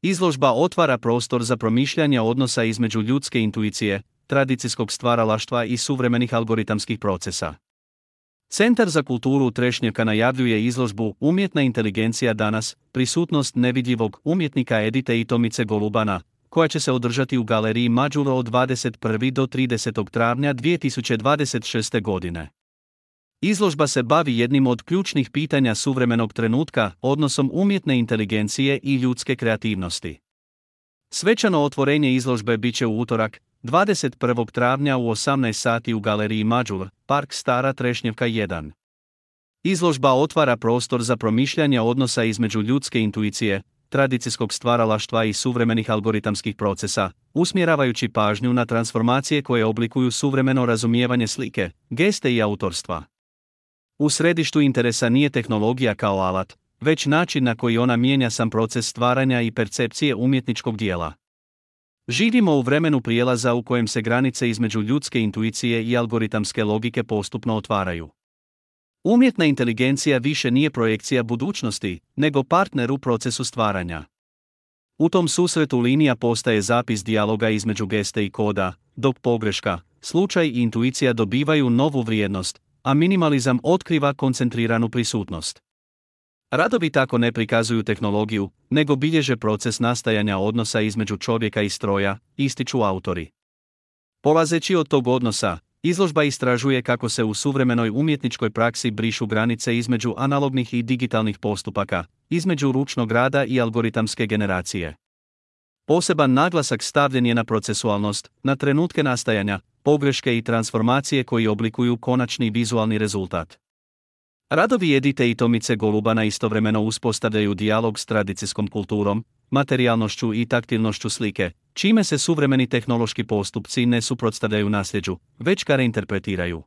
Izložba otvara prostor za promišljanje odnosa između ljudske intuicije, tradicijskog stvaralaštva i suvremenih algoritamskih procesa. Centar za kulturu Trešnjevka najavljuje izložbu Umjetna inteligencija danas, prisutnost nevidljivog umjetnika Edite i Tomice Golubana, koja će se održati u galeriji Mađuro od 21. do 30. travnja 2026. godine. Izložba se bavi jednim od ključnih pitanja suvremenog trenutka, odnosom umjetne inteligencije i ljudske kreativnosti. Svečano otvorenje izložbe bit će u utorak, 21. travnja u 18 sati u galeriji Mađur, Park Stara Trešnjevka 1. Izložba otvara prostor za promišljanje odnosa između ljudske intuicije, tradicijskog stvaralaštva i suvremenih algoritamskih procesa, usmjeravajući pažnju na transformacije koje oblikuju suvremeno razumijevanje slike, geste i autorstva. U središtu interesa nije tehnologija kao alat, već način na koji ona mijenja sam proces stvaranja i percepcije umjetničkog dijela. Živimo u vremenu prijelaza u kojem se granice između ljudske intuicije i algoritamske logike postupno otvaraju. Umjetna inteligencija više nije projekcija budućnosti, nego partner u procesu stvaranja. U tom susretu linija postaje zapis dijaloga između geste i koda, dok pogreška, slučaj i intuicija dobivaju novu vrijednost, a minimalizam otkriva koncentriranu prisutnost. Radovi tako ne prikazuju tehnologiju, nego bilježe proces nastajanja odnosa između čovjeka i stroja, ističu autori. Polazeći od tog odnosa, izložba istražuje kako se u suvremenoj umjetničkoj praksi brišu granice između analognih i digitalnih postupaka, između ručnog rada i algoritamske generacije. Poseban naglasak stavljen je na procesualnost, na trenutke nastajanja, pogreške i transformacije koji oblikuju konačni vizualni rezultat. Radovi Edite i Tomice Golubana istovremeno uspostavljaju dijalog s tradicijskom kulturom, materijalnošću i taktilnošću slike, čime se suvremeni tehnološki postupci ne suprotstavljaju nasljeđu, već ga reinterpretiraju.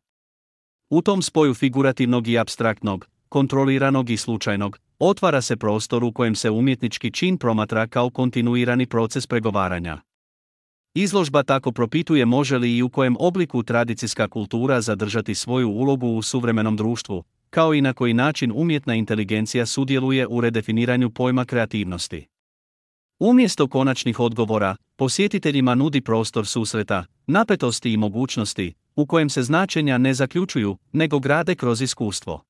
U tom spoju figurativnog i apstraktnog, kontroliranog i slučajnog, otvara se prostor u kojem se umjetnički čin promatra kao kontinuirani proces pregovaranja. Izložba tako propituje može li i u kojem obliku tradicijska kultura zadržati svoju ulogu u suvremenom društvu, kao i na koji način umjetna inteligencija sudjeluje u redefiniranju pojma kreativnosti. Umjesto konačnih odgovora, posjetiteljima nudi prostor susreta, napetosti i mogućnosti, u kojem se značenja ne zaključuju, nego grade kroz iskustvo.